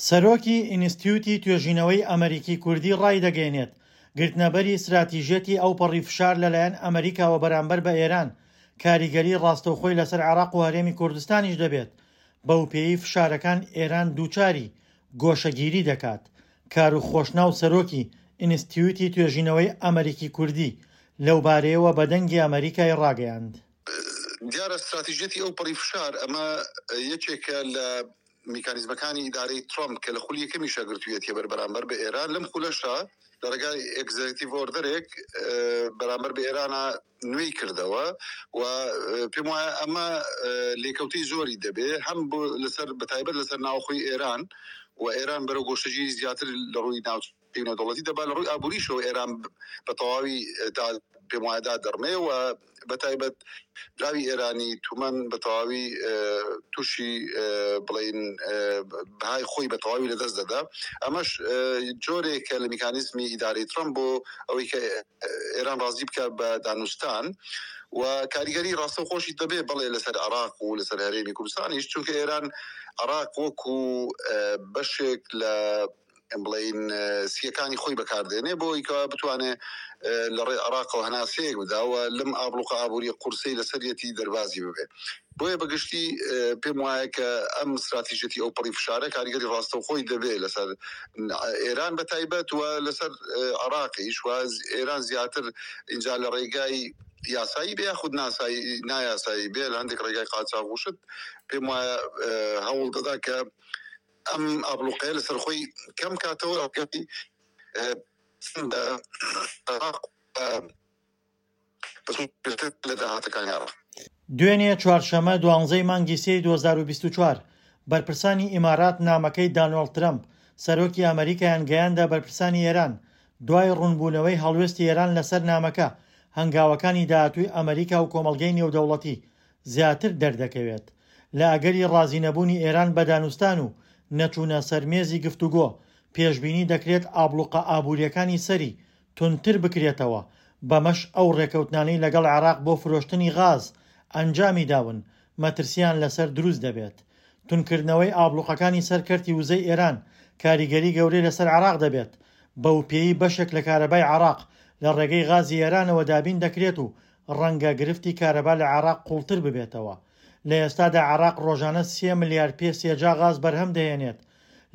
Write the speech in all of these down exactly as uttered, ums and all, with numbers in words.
سەرۆکی ئینستتیوتی توێژینەوەی ئەمەریکی کوردی ڕایدەگەیەنێت، گرتنەبەری ستراتیژیەتی ئەوپەڕی فشار لەلایەن ئەمەریکاوە بەرامبەر بە ئێران کاریگەری ڕاستەوخۆی لەسەر عێراق و هەرێمی کوردستانیش دەبێت، بەوپێیەی فشارەکان ئێران دووچاری گۆشەگیری دەکات. کاروخ خۆشناو سەرۆکی ئینستتیوتی توێژینەوەی ئەمەریکی کوردی لەوبارەیەوە بە دەنگی ئەمەریکای ڕاگەیاند. دیارە ستراتیژیەتی ئەوپەڕی فشار ئەمە یەکێکە لە میکانیزمەکانی ئیدارەی ترامپ کە لە خولی یەکەمیشا گرتوویەتیە بەر بەرامبەر بە ئێران، لەم خولەشا لە ڕێگای executive order ێک بەرامبەر بە ئێرانە نوێی کردەوە و پێم وایە ئەمە لێکەوتەی زۆری دەبێ هەم بۆ لەسەر بەتایبەت لەسەر ناوخۆی ئێران و ئێران بەرەو گۆشەگیری زیاتر لە ڕووی ناوچەی نێودەوڵەتی دەبا، لە ڕووی ئابووریشەوە ئێران بە تەواوی پێم وایە دادەڕمێ و بە تایبەت دراوی ئێرانی تومەن بە تەواوی تووشی بڵین بەهای خۆی بە تەواوی لەدەست دەدا. ئەمەش جۆرێکە لە میکانیزمی ئیدارەی ترەمپ بۆ ئەوەی کە ئێران ڕازی بکە بە دانوستان و کاریگەری ڕاستەوخۆشی دەبێ بەڵێ لەسەر عێراق و لەسەر هەرێمی کوردستانیش، چونکە ئێران عێراق وەکو بەشێک لە بڵین سیەکانی خۆی بەکاردێنێ بۆ ئەوەی کە بتوانێ لە ڕێی عێراقەوە هەناسەیەک بدا و لەم ئابڵوقە ئابووریە قورسەی لەسەریەتی دەربازی ببێ. بۆیە بەگشتی پێم وایە کە ئەم استراتیژیەتی ئەو پەڕی فشارە کاریگەری ڕاستەوخۆی دەبێ لەسەر ئێران بە تایبەت و لەسەر عێراقیش و ئێران زیاتر اینجا لە ڕێگای یاسایی بێ یاخود ناسایی نایاسایی بێ لە هەندێک ڕێگای قاچاغ و شت پێم وایە هەوڵ دەدا کە ئەم ئابڵوقەیە لەسەر خۆی کەم کاتەوە لە داهاتەکانی عێراق. دوێنێ چوارشەممە دوانزەی مانگی سێی دوو هەزار و بیست و چوار، بەرپرسانی ئیمارات نامەکەی دانۆڵد ترەمپ، سەرۆکی ئەمەریکایان گەیاندە بەرپرسانی ئێران، دوای ڕوونبوونەوەی هەڵوێستی ئێران لەسەر نامەکە، هەنگاوەکانی داهاتووی ئەمەریکا و کۆمەڵگەی نێودەوڵەتی زیاتر دەردەکەوێت. لە ئەگەری ڕازینەبوونی ئێران بە دانوستان و نەچوونە سەر مێزی گفتوگۆ، پێشبینی دەکرێت ئابڵوقە ئابوورییەکانی سەری توندتر بکرێتەوە، بەمەش ئەو ڕێکەوتنانەی لەگەڵ عێراق بۆ فرۆشتنی غاز ئەنجامی داون مەترسییان لەسەر دروست دەبێت. توندکردنەوەی ئابڵوقەکانی سەر کەرتی وزەی ئێران کاریگەری گەورەی لەسەر عێراق دەبێت، بەوپێیەی بەشێک لە کارەبای عێراق لە ڕێگەی غازی ئێرانەوە دابین دەکرێت و ڕەنگە گرفتی کارەبا لە عێراق قوڵتر ببێتەوە. لە ئێستادا عێراق ڕۆژانە سێ ملیار پێ سێجا غاز بەرهەم دەهێنێت،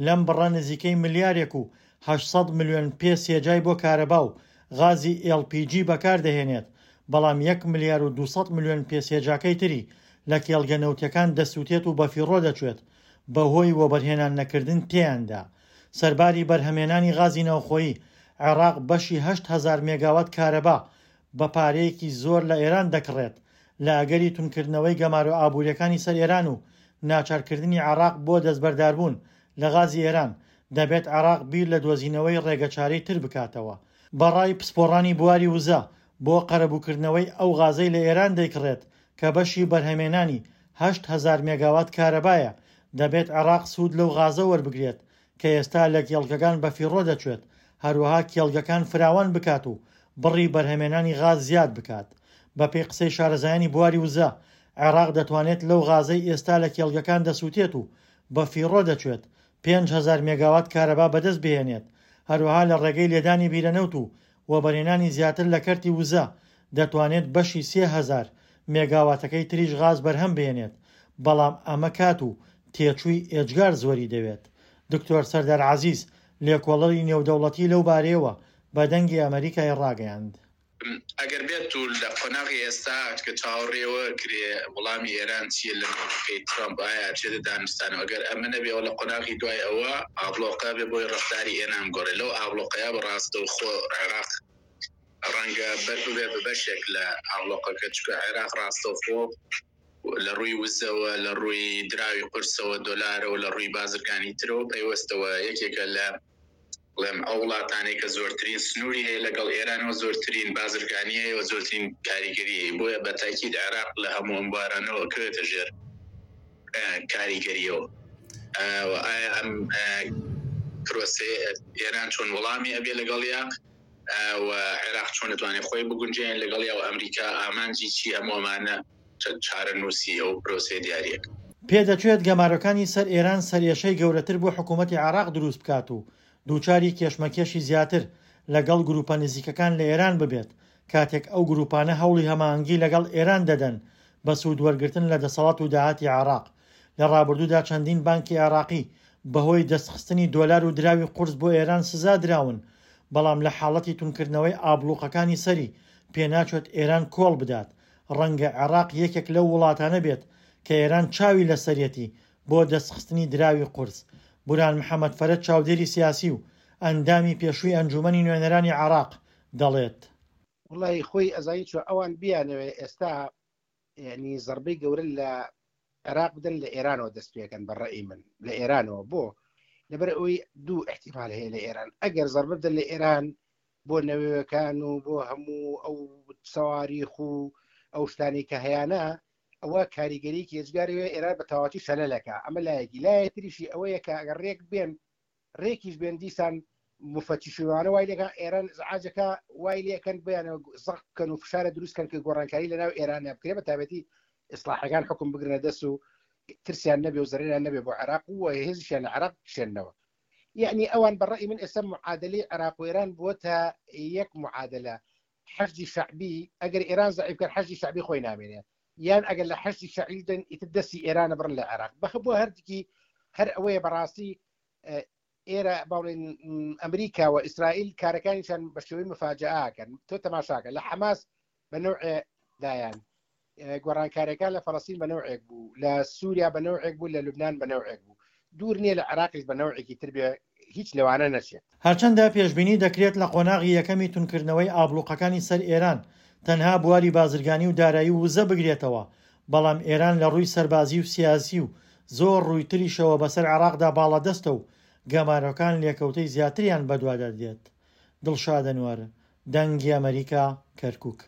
لەم بڕە نزیکەی ملیارێک و هەشت سەد ملیۆن پێ سێجای بۆ کارەبا و غازی ئێڵ پی جی بەکار دەهێنێت، بەڵام یەک ملیار و دوو سەد ملیۆن پێ سێجاکەی تری لە کێڵگە نەوتیەکان دەسووتێت و بەفیڕۆ دەچێت بەهۆی وەبەرهێنان نەکردن تێیاندا. سەرباری بەرهەمێنانی غازی ناوخۆیی، عێراق بەشی هەشت هەزار مێگاوات کارەبا بە پارەیەکی زۆر لە ئێران دەکڕێت، لە ئەگەری توندکردنەوەی گەمارۆ ئابووریەکانی سەر ئێران و ناچارکردنی عێراق بۆ دەستبەرداربوون لە غازی ئێران، دەبێت عێراق بیر لە دۆزینەوەی ڕێگەچارەی تر بکاتەوە. بەڕای پسپۆڕانی بواری وزە، بۆ قەرەبووکردنەوەی ئەو غازەی لە ئێران دەیکڕێت کە بەشی بەرهەمێنانی هەشت هەزار مێگاوات کارەبایە، دەبێت عێراق سوود لەو غازە وەربگرێت کە ئێستا لە کێڵگەکان بەفیڕۆ دەچێت، هەروەها کێڵگەکان فراوان بکات و بڕی بەرهەمێنانی غاز زیاد بکات. بەپێی قسەی شارەزایانی بواری وزە، عێراق دەتوانێت لەو غازەی ئێستا لە کێڵگەکان دەسووتێت و بەفیڕۆ دەچێت پێنج هەزار مێگاوات کارەبا بەدەست بهێنێت، هەروەها لە ڕێگەی لێدانی بیرەنەوت و وەبەرهێنانی زیاتر لە کەرتی وزە دەتوانێت بەشی سێ هەزار مێگاواتەکەی تریش غاز بەرهەم بهێنێت، بەڵام ئەمە کات و تێچووی ئێجگار زۆری دەوێت. دکتۆر سەردار عەزیز، لێکۆڵەری نێودەوڵەتی لەو بارەیەوە بە دەنگی ئەمەریکای ڕاگەیاند. ئەگەر بێت و لە قۆناغی ئێستا کە چاوەڕێوە کرێ وەڵامی ئێران چییە لە مەوقفی ترەمپ، ئایا ئەچێتە دانوستانەوە؟ ئەگەر ئەمە نەبێ لە قۆناغی دوای ئەوە ئابڵۆقە بێ بۆی ڕەفتاری ئێران گۆڕێ، لەو ئابڵۆقەیە بە ڕاستەوخۆ عێراق ڕەنگە بەر ببێ بە بەشێک لە ئابڵۆقەکە، چونکە عێراق ڕاستەوخۆ لە ڕووی وزەوە، لە ڕووی دراوی قورسەوە، دۆلارەوە، لە ڕووی بازرگانی ترەوە پەیوەستەوە یەکێکە لە بڵێم ئەو وڵاتانەی کە زۆرترین سنووری هەیە لەگەڵ ئێرانەوە، زۆرترین بازرگانی هەیە و زۆرترین کاریگەری هەیە. بۆیە بە تاکید عێراق لە هەموو ئەم بوارانەوە کەوێتە ژێر کاریگەریەوە. ئایا ئەم پرۆسەیە ئێران چۆن وەڵامی ئەبێ لەگەڵیا و عێراق چۆن دەتوانێت خۆی بگونجێن لەگەڵیا و ئەمریکا ئامانجی چی، هەموو ئەمانە چارەنووسی ئەو پرۆسەیە دیاریەکە. پێدەچێت گەمارۆکانی سەر ئێران سەرئێشەی گەورەتر بۆ حکوومەتی عێراق دروست بکات و دووچاری کێشمەکێشی زیاتر لەگەڵ گروپە نزیکەکان لە ئێران ببێت، کاتێک ئەو گروپانە هەوڵی هەماهەنگی لەگەڵ ئێران دەدەن بە سوود وەرگرتن لە دەسەڵات و داهاتی عێراق. لە ڕابردوودا چەندین بانکی عێراقی بەهۆی دەستخستنی دۆلار و دراوی قورس بۆ ئێران سزا دراون، بەڵام لە حاڵەتی توندکردنەوەی ئابڵوقەکانی سەری پێناچێت ئێران کۆڵ بدات. ڕەنگە عێراق یەکێک لەو وڵاتانە بێت کە ئێران چاوی لەسەریەتی بۆ دەستخستنی دراوی قورس. بوران محەمەد فەرەج چاودێری سیاسی و ئەندامی پێشووی ئەنجوومەنی نوێنەرانی عێراق دەڵێت، وەڵی خۆی ئەزانی چۆ ئەوان بیانەوێ ئێستا یعنی زەربەی گەورە لە عێراق بدەن لە ئێرانەوە دەست پێکەن بە ڕەئی من لە ئێرانەوە بۆ لەبەر ئەوەی دوو احتیمال هەیە لە ئێران ئەگەر زەربە بدەن لە ئێران بۆ نەوەکان و بۆ هەموو ئەو سەواریخ و ئەو شتانەی کە هەیانە ئەوە کاریگەریکی ئێجگاری هەیە ئێران بە تەواوەتی شەلەلەکە. ئەمە لایەکی لایەتریشی ئەوەیە کە ئەگەر ڕێک بێن ڕێکیش بێن دیسان مفتشیوانە وای لێکە ئێران ئزعاجەکە وای لێکەن بیانەوە زەق بکەن و فشارە دروست کەن کە گۆڕانکاری لەناو ئێران بکرێ بە تایبەتی ئیسلاحەکان حکوم بگرنە دەست و ترسیان نەبێ و زەرەریان نەبێ بۆ عێراق و هێزیشیان لە عێراق بکشێننەوە. یعنی ئەوان بە ڕەئی من ئێستا معادلەی عێراق و ئێران بووەتە یەک معادلە. حەشدی شەعبی ئەگەر ئێران زەعیف کرد حەشدی شەعبی خۆی نامێنێ، یان ئەگەر لە حەشدی شەعبی دەن ئیتر دەستی ئێرانە بڕن لە عێراق. بەخ بۆ هەردووکی هەر ئەوەیە بەڕاستی ئێرە باڵێن ئەمریکا و ئیسرائیل کارەکانیشان بە شێوەی مفاجەئەکەن. تۆ تەماشاکە لە حەماس بە نەوعێ دایان، گۆڕانکاریەکان لە فەلەستین بە نەوعێک بوو، لە سووریا بە نەوعێک بوو، لە لوبناان بە نەوعێک بوو. دوور نییە لە عێراقیش بە نەوعێکی تر بێ، هیچ لەوانە نەچێت. هەرچەندە پێشبینی دەکرێت لە قۆناغی یەکەمی توندکردنەوەی ئابڵوقەکانی سەر ئێران تەنها بواری بازرگانی و دارایی و وزە بگرێتەوە، بەڵام ئێران لە ڕووی سەربازی و سیاسی و زۆر ڕووی تریشەوە بەسەر عێراقدا باڵادەستە و گەمارۆکان لێکەوتەی زیاتریان بەدوادا دێت. دڵشاد ئەنوەر، دەنگی ئەمریکا، کەرکووک.